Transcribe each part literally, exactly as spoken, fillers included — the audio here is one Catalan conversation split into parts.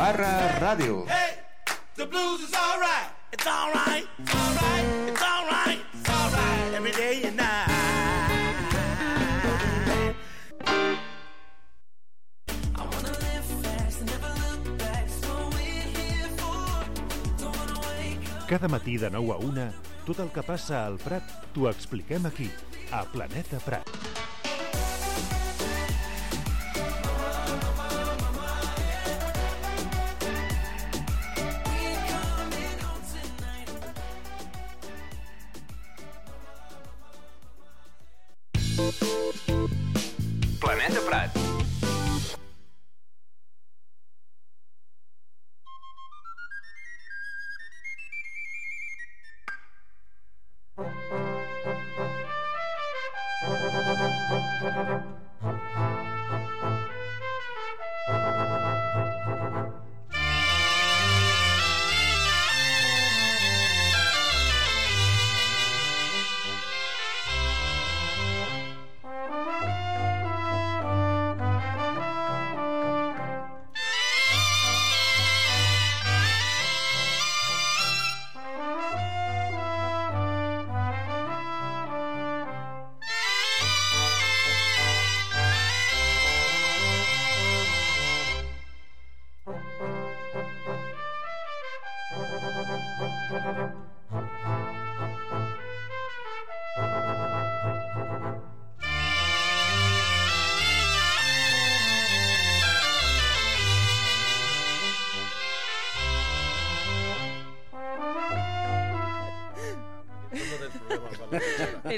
barra ràdio. Hey, the blues is all right. It's all right. It's all right. It's all right. It's all right. Every day and night. I wanna live fast and never look back. That's what we're here for. Don't wanna wake up. Cada matí de nou a una, tot el que passa al Prat t'ho expliquem aquí, a Planeta Prat. Planeta Prat.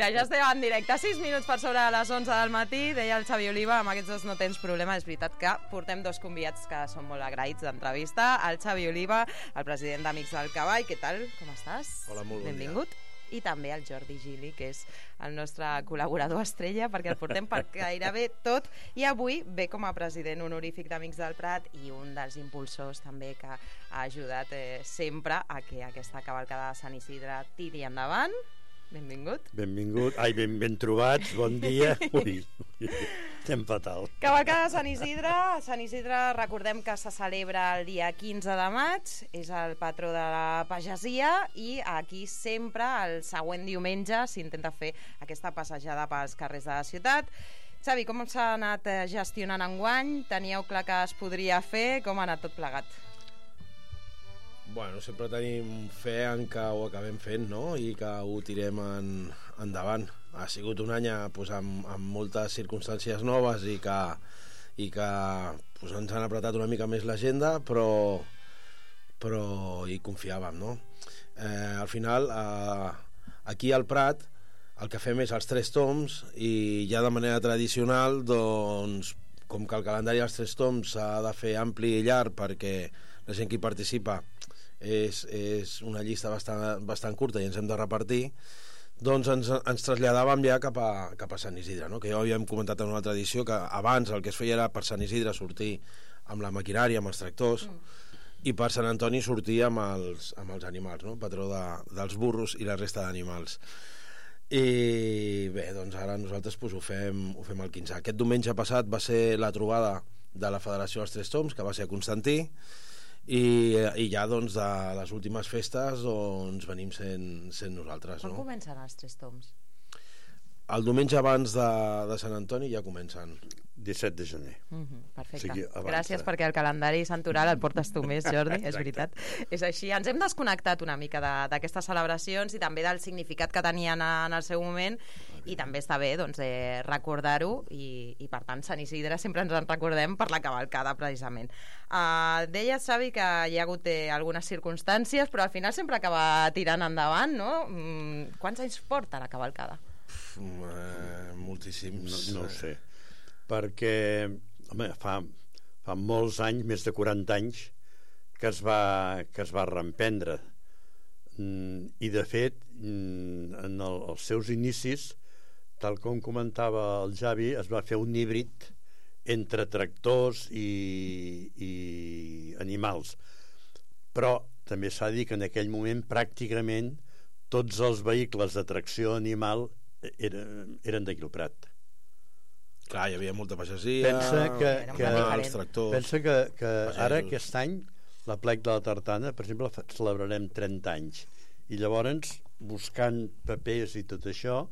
Mira, ja estem en directe, sis minuts per sobre les onze del matí, deia el Xavi Oliva, amb aquests dos no tens problema. És veritat que portem dos convidats que són molt agraïts d'entrevista, el Xavi Oliva, el president d'Amics del Cavall. Què tal? Com estàs? Hola, molt bon Benvingut. dia. I també el Jordi Gili, que és el nostre col·laborador estrella, perquè el portem per gairebé tot, i avui ve com a president honorífic d'Amics del Prat i un dels impulsors també que ha ajudat eh, sempre a que aquesta cavalcada de Sant Isidre tiri endavant. Benvingut. Benvingut. Ai, ben, ben trobats, bon dia. Ui, ui, estem fatal. Cavalcada de Sant Isidre. Sant Isidre, recordem que se celebra el dia quinze de maig, és el patró de la pagesia, i aquí sempre el següent diumenge s'intenta fer aquesta passejada pels carrers de la ciutat. Xavi, com s'ha anat gestionant enguany? Teníeu clar que es podria fer? Com ha anat tot plegat? Bueno, sempre tenim fe en que ho acabem fent, no? I que ho tirem en, endavant. Ha sigut un any pues, amb, amb moltes circumstàncies noves i que, i que pues, ens han apretat una mica més l'agenda, però, però hi confiàvem, no? Eh, al final, eh, aquí al Prat, el que fem és els tres toms i ja de manera tradicional, doncs, com que el calendari dels tres toms s'ha de fer ampli i llarg perquè la gent que hi participa és, és una llista bastant, bastant curta i ens hem de repartir, doncs ens, ens traslladàvem ja cap a, cap a Sant Isidre, no? Que ja ho havíem comentat en una altra edició, que abans el que es feia era per Sant Isidre sortir amb la maquinària, amb els tractors, mm. i per Sant Antoni sortir amb els, amb els animals, no? Patró de, dels burros i la resta d'animals. I bé, doncs ara nosaltres pues, ho, fem, ho fem el quinze. Aquest diumenge passat va ser la trobada de la Federació dels Tres Toms, que va ser a Constantí, i, i ja doncs de les últimes festes doncs venim sent, sent nosaltres. Quan no? comencen els tres toms? El diumenge abans de, de Sant Antoni ja comencen. disset de gener. Mm-hmm, perfecte. O sigui, abans, Gràcies eh? perquè el calendari santoral el portes tu més, Jordi, és veritat. És així. Ens hem desconnectat una mica d'aquestes celebracions i també del significat que tenien en el seu moment, i també està bé doncs, eh, recordar-ho, i, i per tant Sant Isidre sempre ens en recordem per la cavalcada precisament. Uh, deies, Xavi, que hi ha hagut eh, algunes circumstàncies, però al final sempre acaba tirant endavant, no? Mm, quants anys porta la cavalcada? Uf, eh, moltíssims. No, no ho sé. Perquè, home, fa, fa molts anys, més de quaranta anys, que es va, que es va reemprendre. Mm, I, de fet, mm, en el, els seus inicis, tal com comentava el Xavi, es va fer un híbrid entre tractors i, i animals. Però també s'ha de dir que en aquell moment pràcticament tots els vehicles de tracció animal eren, eren d'aquí al Prat. Clar, hi havia molta pagesia, pensa que, que, els tractors. pensa que, que ara aquest any l'aplec de la tartana, per exemple, fa- celebrarem trenta anys. I llavors, buscant papers i tot això,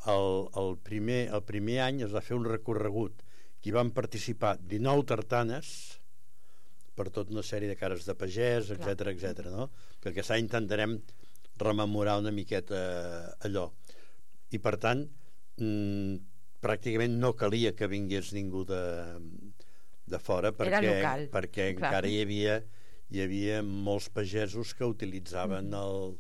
el, el, primer, el primer any es va fer un recorregut que hi van participar dinou tartanes per tota una sèrie de cares de pagès, etc etc. no? Que aquest any intentarem rememorar una miqueta allò. I per tant, mmm, pràcticament no calia que vingués ningú de, de fora perquè, local, perquè clar. encara hi havia, hi havia molts pagesos que utilitzaven mm. el,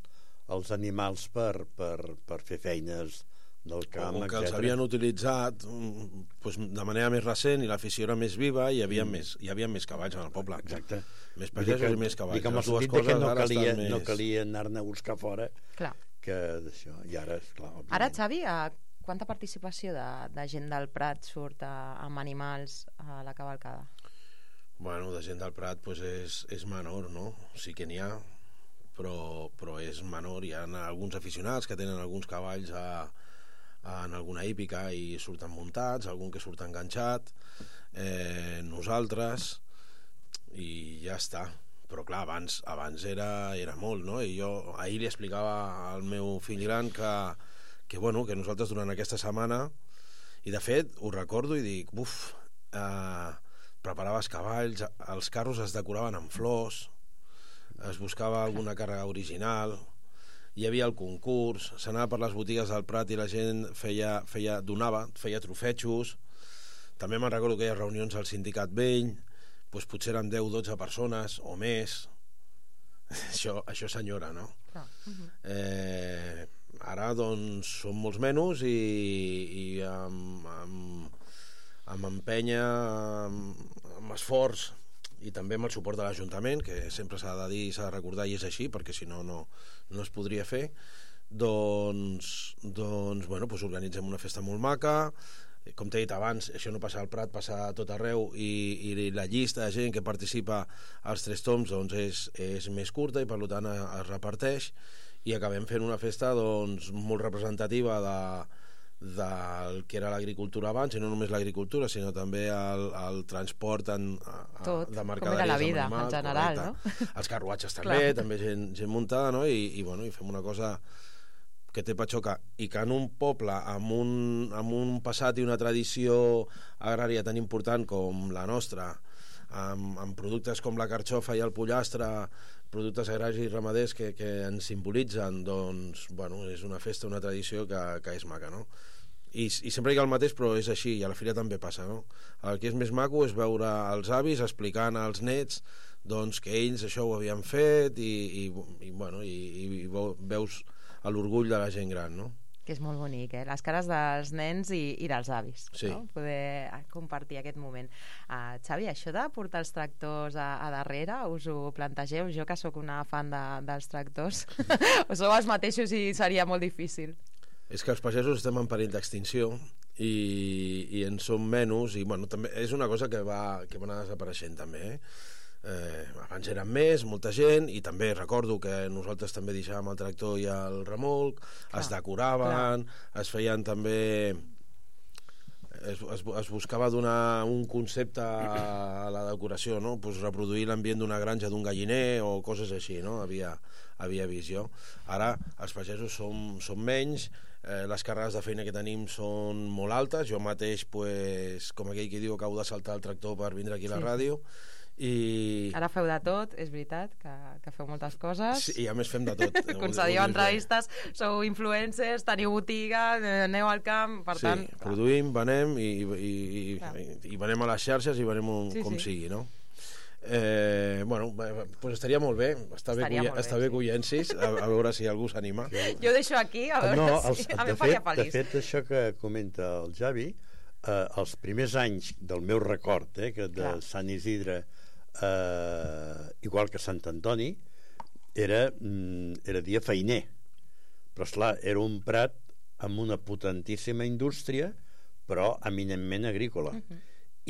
els animals per, per, per fer feines del camp, o que els etcètera. havien utilitzat mm, pues, de manera més recent i l'afició era més viva i hi havia, mm. més, hi havia més cavalls en el poble. Exacte. Més Vull dir pagesos que- i més cavalls. dic, amb el Les dues sentit de que coses no ara calia, estan no més- calia anar-ne a buscar fora Clar. que d'això. I ara, esclar, òbviament. Ara, Xavi, eh, quanta participació de, de gent del Prat surt a, amb animals a la cavalcada? Bueno, de gent del Prat pues, és, és menor, no? Sí que n'hi ha, però, però és menor. Hi ha alguns aficionats que tenen alguns cavalls a, a, en alguna hípica i surten muntats, algun que surt enganxat, eh, nosaltres, i ja està. Però clar, abans, abans era, era molt, no? I jo ahir li explicava al meu fill gran que, que, bueno, que nosaltres durant aquesta setmana, i de fet ho recordo i dic, buf, eh, preparaves cavalls, els carros es decoraven amb flors, es buscava alguna càrrega original, hi havia el concurs, s'anava per les botigues del Prat i la gent feia, feia, donava, feia trofetxos. També me'n recordo que hi ha reunions al sindicat vell, doncs potser eren deu o dotze persones o més. Això, això senyora, no? Clar. Uh-huh. Eh, ara, doncs, són molts menys i, i amb, amb, amb empenya, amb, amb esforç i també amb el suport de l'Ajuntament, que sempre s'ha de dir i s'ha de recordar, i és així, perquè si no, no, no es podria fer, doncs, doncs, bueno, doncs organitzem una festa molt maca. Com t'he dit abans, això no passa al Prat, passa a tot arreu, i, i la llista de gent que participa als Tres Tombs doncs, és, és més curta i per tant es reparteix, i acabem fent una festa doncs, molt representativa de, del que era l'agricultura abans, i no només l'agricultura, sinó també el, el transport en, a, Tot, de com mercaderies era la vida, amb animals, en general, correcte. no? Els carruatges també, també gent, gent muntada, no? I, i, bueno, i fem una cosa que té patxoca, i que en un poble amb un, amb un passat i una tradició agrària tan important com la nostra, amb, amb productes com la carxofa i el pollastre, productes agraris i ramaders que, que ens simbolitzen, doncs, bueno, és una festa, una tradició que, que és maca, no? I, i sempre dic el mateix, però és així, i a la fira també passa, no? El que és més maco és veure els avis explicant als nets doncs, que ells això ho havien fet, i, i, i, bueno, i, i veus l'orgull de la gent gran, no? Que és molt bonic, eh? Les cares dels nens i, i dels avis, Sí. no? Poder compartir aquest moment. Uh, Xavi, això de portar els tractors a, a darrere, us ho plantegeu? Jo, que sóc una fan de, dels tractors, o sou els mateixos i seria molt difícil? És que els pagesos estem en perill d'extinció i, i en som menys, i bueno, també és una cosa que va, que va anar desapareixent també, eh? Eh, abans eren més, molta gent, i també recordo que nosaltres també deixàvem el tractor i el remolc, clar, es decoraven, clar. Es feien també es, es, es buscava donar un concepte a la decoració, no? Pues reproduir l'ambient d'una granja, d'un galliner o coses així, no? Havia, havia visió. Ara els pagesos som, som menys, eh, les càrregues de feina que tenim són molt altes, jo mateix, pues, com aquell que diu, acabo de saltar el tractor per vindre aquí a la Sí. ràdio. I... Ara feu de tot, és veritat, que, que feu moltes coses. Sí, i a més fem de tot. Concediu entrevistes, sou influencers, teniu botiga, eh, aneu al camp, per Sí, tant... produïm, venem i, i, i, Clar. i, i venem a les xarxes i venem un, Sí, com sí. sigui, no? Eh, bueno, pues estaria molt bé, està bé, Estaria que, molt bé, està bé sí. que ho llencis, a, a veure si algú s'anima. Jo ho deixo aquí, a veure no, si els, a mi de, em faria fet, de feliç. fet, això que comenta el Javi, eh, els primers anys del meu record, eh, que de Clar. Sant Isidre, eh, igual que Sant Antoni, era, mm, era dia feiner, però esclar, era un prat amb una potentíssima indústria, però eminentment agrícola. Mhm.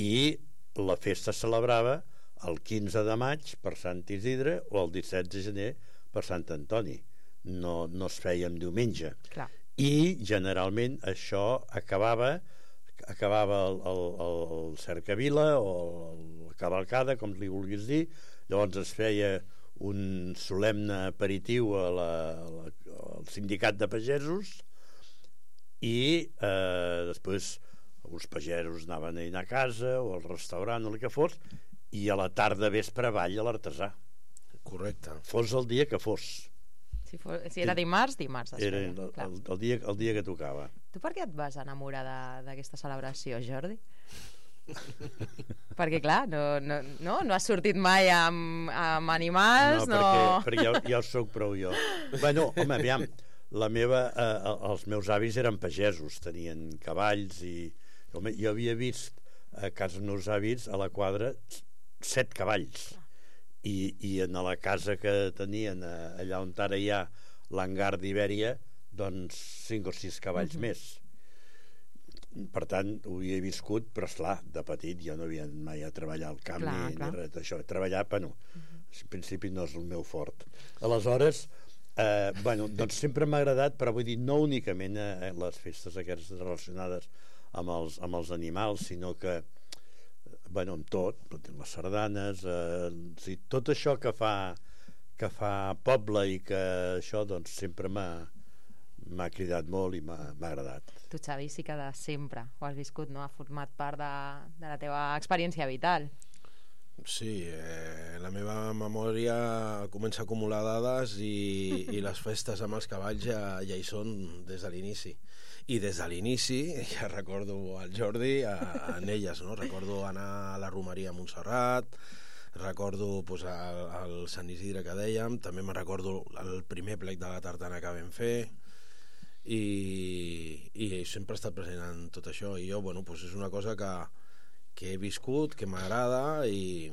I la festa es celebrava el quinze de maig per Sant Isidre o el disset de gener per Sant Antoni. No, no es feia en diumenge. Clar. I generalment això acabava acabava el, el, el cercavila o la cavalcada, com li vulguis dir, Llavors es feia un solemne aperitiu a la, a la, al sindicat de pagesos i eh, després uns pagesos anaven a dinar a casa o al restaurant o el que fos, i a la tarda vespre avall a l'artesà. Correcte. Fos el dia que fos. Si, fos, si era dimarts, dimarts. es Era feia, el, clar. el, el, dia, el dia que tocava. Tu per què et vas enamorar de- d'aquesta celebració, Jordi? Perquè, clar, no, no, no, no has sortit mai amb, amb animals, no... perquè, perquè ja, ja ho soc prou jo. Bueno, home, aviam, la meva, eh, els meus avis eren pagesos, tenien cavalls i... Home, jo havia vist a casa dels meus avis, a la quadra, set cavalls. I, i en la casa que tenien eh, allà on ara hi ha l'hangar d'Ibèria, doncs cinc o sis cavalls Mhm. més. Per tant, ho havia viscut, però esclar, de petit jo no havia anat mai a treballar al camp Clar, ni, clar. ni res d'això. Treballar, però no. En principi no és el meu fort. Aleshores, eh, bueno, doncs sempre m'ha agradat, però vull dir, no únicament eh, les festes aquestes relacionades amb els, amb els animals, sinó que bueno, amb tot, les sardanes, eh, o sigui, tot això que fa que fa poble i que això doncs sempre m'ha m'ha cridat molt i m'ha m'ha agradat. Tu, Xavi, sí que de sempre ho has viscut, no? Ha format part de, de la teva experiència vital. Sí, eh, la meva memòria comença a acumular dades i, i les festes amb els cavalls ja, ja hi són des de l'inici. I des de l'inici, ja recordo el Jordi a, en elles, no? Recordo anar a la romeria a Montserrat, recordo pues, el, el Sant Isidre que dèiem, també me recordo el primer plec de la tartana que vam fer, i, i sempre he estat present en tot això, i jo, bueno, pues és una cosa que, que he viscut, que m'agrada i,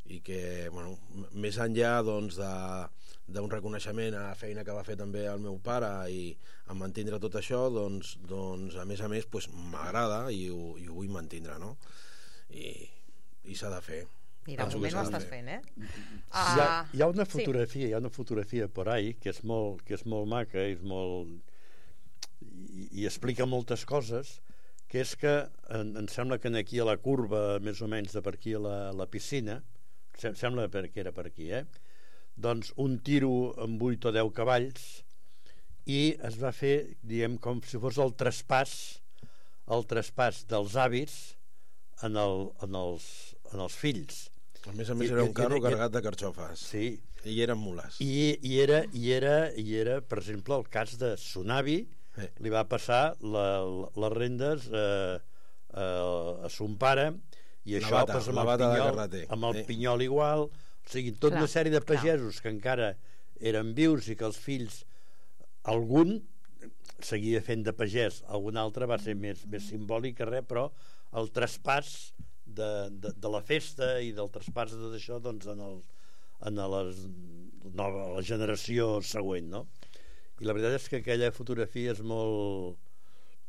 i que, bueno, m- més enllà doncs, de, d'un reconeixement a la feina que va fer també el meu pare i a mantindre tot això, doncs, doncs a més a més pues, m'agrada i ho, i ho vull mantindre, no? I, i s'ha de fer. I de Penso que moment ho s'ha de estàs fer. fent, eh? Hi ha, Ah, hi ha una sí. fotografia, hi ha una fotografia por ahí que és molt, que és molt maca, és molt i, i explica moltes coses, que és que em, em sembla que aquí a la curva, més o menys de per aquí a la, la piscina, sem sembla que era per aquí, eh? Doncs un tiro amb vuit o deu cavalls i es va fer, diguem, com si fos el traspàs el traspàs dels avis en, el, en, els, en els fills. A més a més I- era i- un carro i- carregat de carxofes. Sí, I eren mules. i, i, era, i, era, i era, per exemple, el cas de Sonavi, Eh. li va passar la, la, les rendes eh, eh, a son pare, i La això bata, pues, amb, la el bata de pinyol, carreter. amb el Eh. pinyol igual, o sigui, tota Clar, una sèrie de clar. pagesos que encara eren vius i que els fills, algun seguia fent de pagès, algun altre va ser més, més simbòlic que res, però el traspàs de, de, de la festa i del traspàs de tot això doncs, en, el, en les, nova, la generació següent, no? I la veritat és que aquella fotografia és molt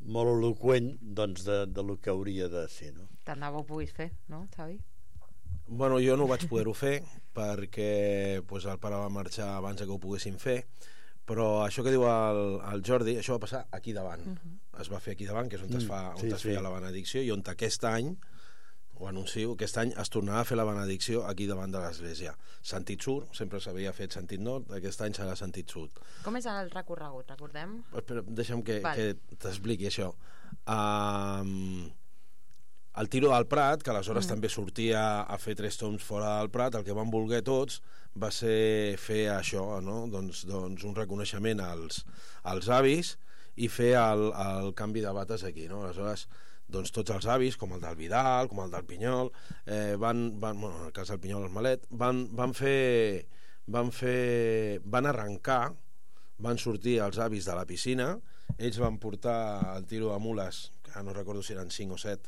molt eloqüent doncs, de, de lo que hauria de ser, no? Tant de bo ho puguis fer, no, Xavi? Bueno, jo no vaig poder-ho fer perquè pues, el pare va marxar abans que ho poguessin fer, però això que diu el, el Jordi, això va passar aquí davant. Uh -huh. Es va fer aquí davant, que és on, mm, es, fa, on sí, es sí. feia la benedicció, i on aquest any, ho anuncio, aquest any es tornarà a fer la benedicció aquí davant de l'església. Sentit sud, sempre s'havia fet sentit nord, aquest any serà sentit sud. Com és el recorregut, recordem? Espera, deixa'm que, Val. que t'expliqui això. Um, el tiro del Prat, que aleshores mm. també sortia a fer tres toms fora del Prat, el que van voler tots va ser fer això, no? doncs, doncs un reconeixement als, als avis i fer el, el canvi de bates aquí. No? Aleshores, doncs tots els avis, com el del Vidal, com el del Pinyol, eh, van, van, bueno, en el cas del Pinyol, el Malet, van, van fer... Van fer... van arrencar, van sortir els avis de la piscina, ells van portar el tiro de mules, que no recordo si eren cinc o set,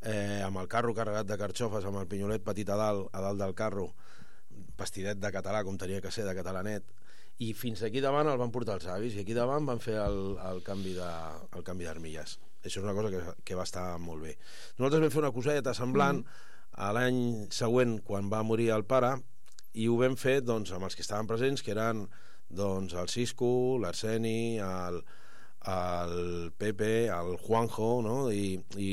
eh, amb el carro carregat de carxofes, amb el pinyolet petit a dalt, a dalt del carro, vestidet de català, com tenia que ser, de catalanet, i fins aquí davant el van portar els avis, i aquí davant van fer el, el canvi de, el canvi d'armilles. Això és una cosa que, que va estar molt bé. Nosaltres vam fer una coseta semblant a l'any següent, quan va morir el pare, i ho vam fer doncs, amb els que estaven presents, que eren doncs, el Cisco, l'Arseni, el, el Pepe, el Juanjo, no? I, i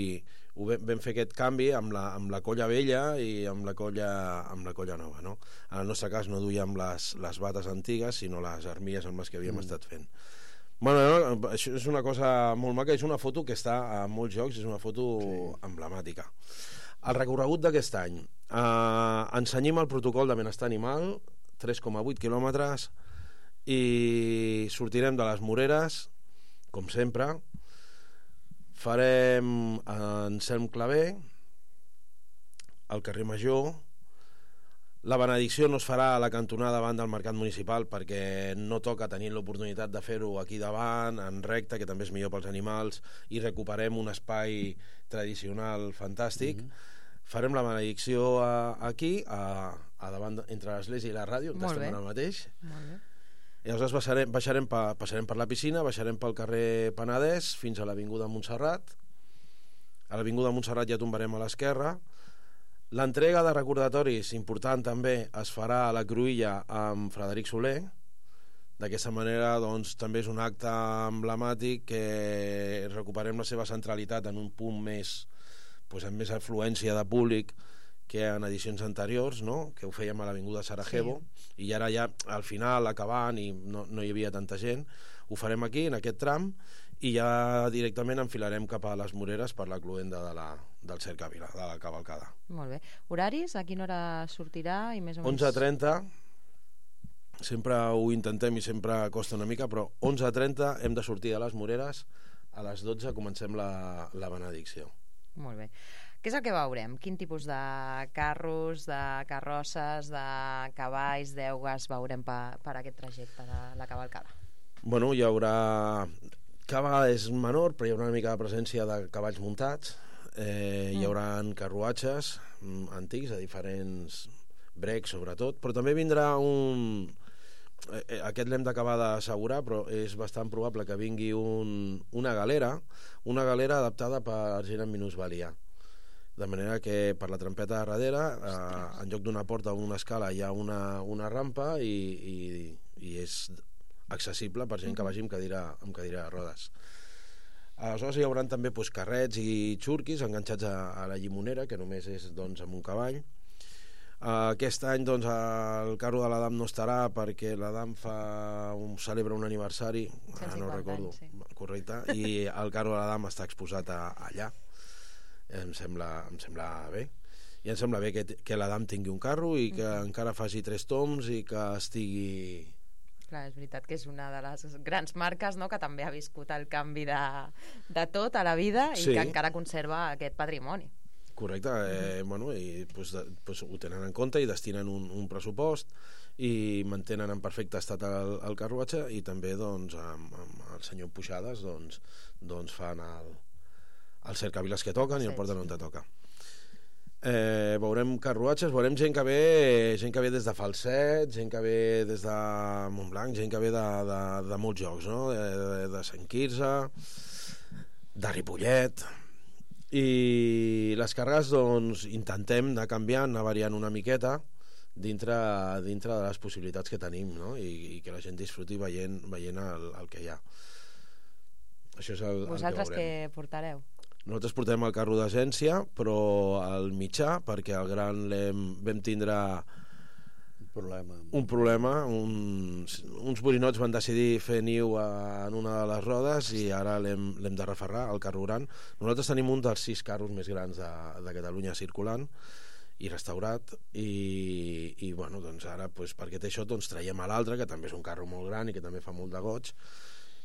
ho vam, vam fer aquest canvi amb la, amb la colla vella i amb la colla, amb la colla nova, no? En el nostre cas no duíem les, les bates antigues, sinó les armilles amb les que havíem mm. estat fent. Bueno, no, això és una cosa molt maca, és una foto que està a molts jocs, és una foto sí. emblemàtica. El recorregut d'aquest any. Eh, ensenyim el protocol de benestar animal, tres coma vuit quilòmetres, i sortirem de les Moreres, com sempre. Farem en Selm Claver, al carrer Major. La benedicció no es farà a la cantonada davant del mercat municipal perquè no toca tenir l'oportunitat de fer-ho aquí davant, en recte, que també és millor pels animals, i recuperem un espai tradicional fantàstic. Mm-hmm. Farem la benedicció a, aquí, a, a davant, entre l'església i la ràdio, on estem ara mateix. Molt bé. I aleshores baixarem, baixarem pa, passarem per la piscina, baixarem pel carrer Penedès fins a l'avinguda Montserrat. A l'avinguda Montserrat ja tombarem a l'esquerra. L'entrega de recordatoris, important també, es farà a la Cruïlla amb Frederic Soler. D'aquesta manera, doncs, també és un acte emblemàtic que recuperem la seva centralitat en un punt més, doncs, amb més afluència de públic que en edicions anteriors, no? Que ho fèiem a l'avinguda Sarajevo, sí. I ara ja al final, acabant, i no, no hi havia tanta gent, ho farem aquí, en aquest tram, i ja directament enfilarem cap a les Moreres per la cloenda de la, del Cercavila, de la cavalcada. Molt bé. Horaris? A quina hora sortirà? I més o menys... onze trenta, sempre ho intentem i sempre costa una mica, però onze trenta hem de sortir a les Moreres, a les dotze comencem la, la benedicció. Molt bé. Què és el que veurem? Quin tipus de carros, de carrosses, de cavalls, d'eugues veurem per, per aquest trajecte de la cavalcada? Bueno, hi haurà... Cada vegada és menor, però hi haurà una mica de presència de cavalls muntats. Eh, mm. Hi haurà carruatges mm, antics, de diferents brecs, sobretot, però també vindrà un... Eh, aquest l'hem d'acabar d'assegurar, però és bastant probable que vingui un, una galera, una galera adaptada per gent amb minusvalia. De manera que per la trampeta de darrere, eh, en lloc d'una porta o una escala, hi ha una, una rampa i, i, i és accessible per gent que vagi amb cadira, amb cadira de rodes. Aleshores hi haurà també doncs, carrets i xurquis enganxats a, a la llimonera, que només és doncs, amb un cavall. Uh, aquest any doncs, el carro de l'Adam no estarà perquè l'Adam fa un, celebra un aniversari, ara no recordo, anys, sí. Correcte, i el carro de l'Adam està exposat a, allà. Em sembla, em sembla bé. I em sembla bé que, que l'Adam tingui un carro i que mm. encara faci tres toms i que estigui... Clar, és veritat que és una de les grans marques, no?, que també ha viscut el canvi de, de tot a la vida i sí. Que encara conserva aquest patrimoni. Correcte, eh, bueno, i pues, de, pues, ho tenen en compte i destinen un, un pressupost i mantenen en perfecte estat el, el carruatge i també doncs, amb, amb el senyor Puixades doncs, doncs fan el, els cercaviles que toquen sí, i el porten on te toca. Eh, veurem carruatges, veurem gent que ve gent que ve des de Falset, gent que ve des de Montblanc, gent que ve de, de, de molts jocs, no? de, de, de Sant Quirze, de Ripollet. I les càrregues doncs, intentem anar canviant, anar variant una miqueta dintre, dintre de les possibilitats que tenim, no? I, i que la gent disfruti veient, veient el, el que hi ha. Això és el, Vosaltres el que què portareu? Nosaltres portem el carro d'agència, però el mitjà, perquè el gran vam tindre problema. un problema uns, uns borinots van decidir fer niu a, en una de les rodes i ara l'hem de referrar, el carro gran. Nosaltres tenim un dels sis carros més grans de, de Catalunya circulant i restaurat i, i bueno, doncs ara pues, perquè té això doncs, traiem a l'altre, que també és un carro molt gran i que també fa molt de goig,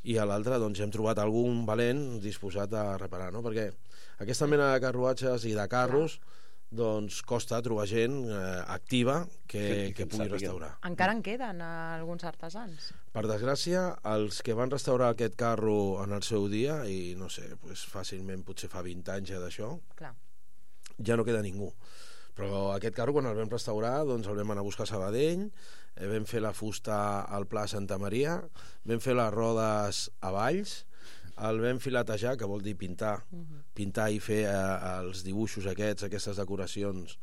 i a l'altre doncs, hem trobat algun valent disposat a reparar, no? Perquè aquesta mena de carruatges i de carros doncs costa trobar gent eh, activa que, que pugui restaurar. Encara en queden alguns artesans? Per desgràcia, els que van restaurar aquest carro en el seu dia, i no sé, pues, fàcilment potser fa vint anys ja d'això, ja no queda ningú. Però aquest carro, quan el vam restaurar, doncs el vam anar a buscar a Sabadell, eh, vam fer la fusta al Pla Santa Maria, vam fer les rodes a Valls, el vam filetejar, que vol dir pintar, uh-huh. pintar i fer eh, els dibuixos aquests, aquestes decoracions,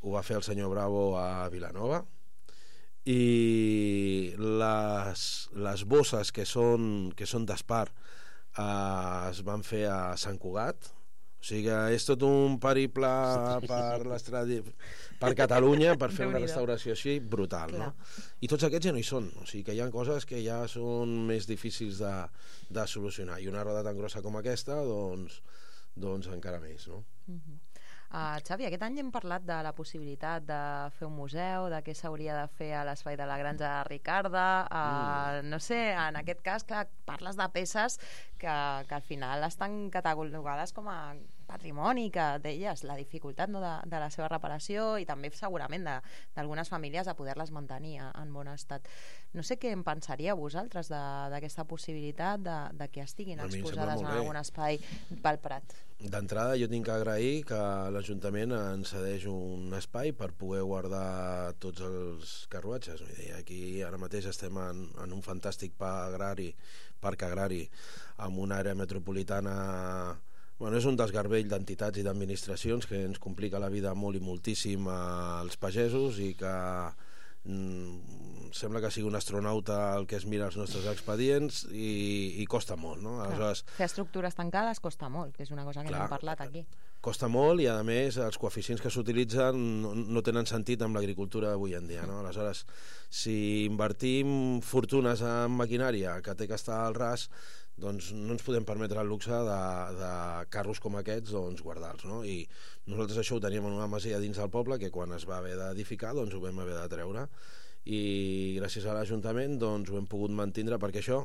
ho va fer el senyor Bravo a Vilanova, i les, les bosses que són, que són d'espar eh, es van fer a Sant Cugat, O sigui que és tot un periple per, l'estradi... per Catalunya per fer una Déu-n'hi-do. restauració així brutal, no? I tots aquests ja no hi són, o sigui que hi ha coses que ja són més difícils de, de solucionar, i una roda tan grossa com aquesta, doncs, doncs encara més, no? Uh, Xavi, aquest any hem parlat de la possibilitat de fer un museu, de què s'hauria de fer a l'espai de la Granja Ricarda, uh, mm. no sé, en aquest cas, clar, parles de peces que, que al final estan catalogades com a patrimoni, que deies la dificultat, no, de, de la seva reparació, i també segurament de- d'algunes famílies de poder-les mantenir a- en bon estat. No sé què en pensaríeu vosaltres de- d'aquesta possibilitat de, de que estiguin A mi em sembla exposades molt en bé. algun espai pel Prat. D'entrada jo tinc que agrair que l'Ajuntament ens cedeix un espai per poder guardar tots els carruatges. Vull dir, aquí ara mateix estem en, en un fantàstic parc agrari, parc agrari amb una àrea metropolitana. Bueno, és un desgarbell d'entitats i d'administracions que ens complica la vida molt i moltíssim als pagesos, i que mm, sembla que sigui un astronauta el que es mira els nostres expedients, i, i costa molt, no? Aleshores, Fer estructures tancades costa molt, que és una cosa que Clar. n'hem parlat aquí. costa molt, i a més els coeficients que s'utilitzen no, no tenen sentit amb l'agricultura d'avui en dia, no? Aleshores, si invertim fortunes en maquinària que té que estar al ras, doncs no ens podem permetre el luxe de, de carros com aquests, doncs guardar-los, no? I nosaltres això ho teníem en una masia dins del poble, que quan es va haver d'edificar doncs ho vam haver de treure, i gràcies a l'Ajuntament doncs ho hem pogut mantindre, perquè això,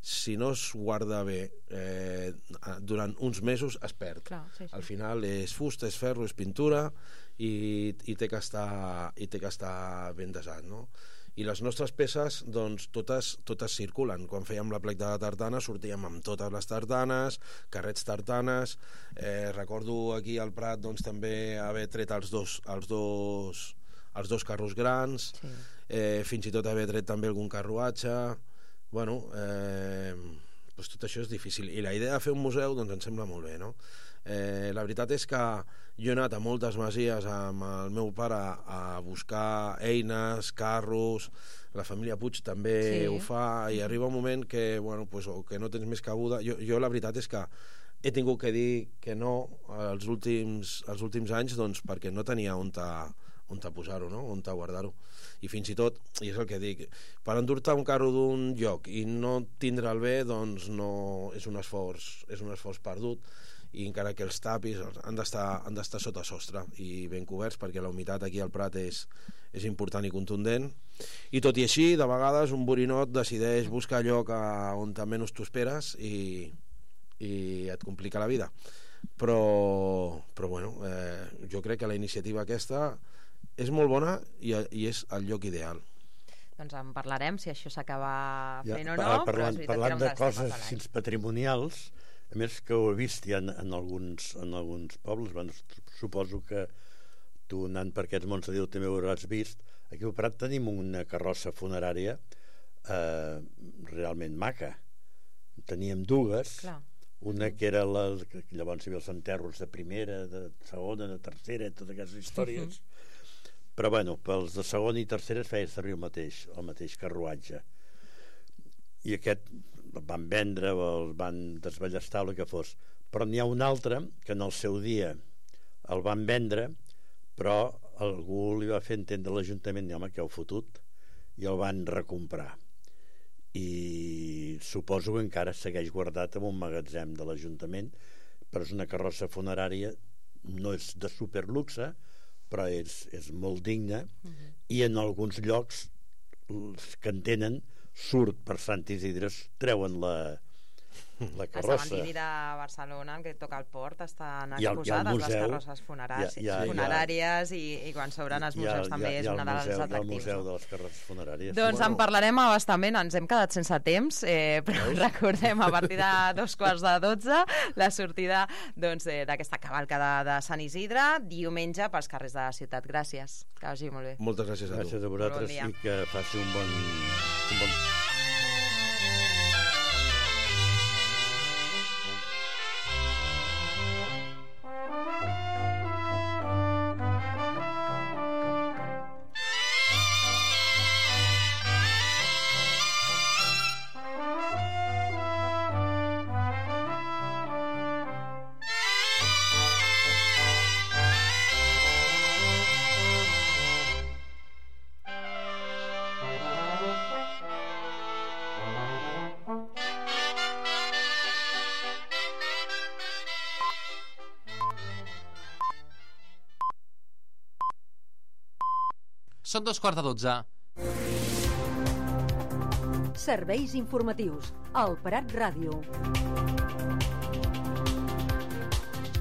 si no es guarda bé eh, durant uns mesos, es perd. Clar, sí, sí. Al final és fusta, és ferro, és pintura, i, i, té que estar, i té que estar ben desat, no? I les nostres peces, doncs, totes, totes circulen. Quan fèiem la plec de la tartana sortíem amb totes les tartanes, carrets tartanes, eh, recordo aquí al Prat doncs, també haver tret els dos, els dos, els dos carros grans, Sí. eh, fins i tot haver tret també algun carruatge. Bueno, eh, doncs tot això és difícil, i la idea de fer un museu doncs em sembla molt bé, no? Eh, la veritat és que jo he anat a moltes masies amb el meu pare a buscar eines, carros, la família Puig també Sí. ho fa, i arriba un moment que, bueno, pues, o que no tens més cabuda. Jo, jo la veritat és que he tingut que dir que no els últims, els últims anys, doncs, perquè no tenia on ta, on ta posar-ho, no? On ta guardar-ho. I fins i tot, i és el que dic, per endur-te un carro d'un lloc i no tindre'l bé, doncs no, és un esforç, és un esforç perdut, i encara que els tapis han d'estar han d'estar sota sostre i ben coberts, perquè la humitat aquí al Prat és, és important i contundent. I tot i així, de vegades un borinot decideix buscar lloc a, on menys t'ho esperes, i, i et complica la vida. Però, però bueno, eh, jo crec que la iniciativa aquesta és molt bona, i, i és el lloc ideal. Doncs en parlarem, si això s'acaba Ja, fent o pa- no, però parlant, és veritat parlant que de era un dels coses temes de així l'any. patrimonials, a més que ho he vist ja en, en, alguns, en alguns pobles, bueno, suposo que tu anant per aquests mons de Déu també ho hauràs vist. Aquí al Prat tenim una carrossa funerària eh, realment maca. Teníem dues, Clar. una que era la que llavors hi havia els enterros de primera, de segona, de tercera, totes aquestes històries. Però bueno, pels de segona i tercera es feia servir el mateix, el mateix carruatge. I aquest el van vendre o el van desballestar o el que fos. Però n'hi ha un altre que en el seu dia el van vendre, però algú li va fer entendre a l'Ajuntament, home, que heu fotut, i el van recomprar. I suposo que encara segueix guardat en un magatzem de l'Ajuntament, però és una carrossa funerària, no és de superluxe, però és, és molt digna, i en alguns llocs els que en tenen surt per Sant Isidre, treuen la, la Al carrossa. cementiri de Barcelona, que toca el port, estan Hi ha- hi ha el exposades les museu. carrosses funeràries, Hi ha- hi ha- funeràries i, i quan s'obren els Hi ha- museus també hi ha- és hi ha una el dels museu, hi ha el atractius. museu no? de les carrosses funeràries. Doncs en parlarem a bastament, ens hem quedat sense temps, eh, però recordem, a partir de dos quarts de dotze, la sortida doncs, eh, d'aquesta cavalca de, de Sant Isidre, diumenge pels carrers de la ciutat. Gràcies, que vagi molt bé. Moltes gràcies a tu. Gràcies a vosaltres Bon dia. i que faci un bon... Un bon... Són dos quarts de dotze. Serveis informatius. El Prat Ràdio.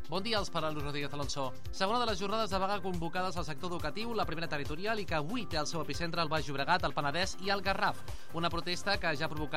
Bon dia, els parla Luis Rodríguez Alonso. Segona de les jornades de vaga convocades al sector educatiu, la primera territorial, i que avui té el seu epicentre al Baix Llobregat, al Penedès i al Garraf. Una protesta que ja ha provocat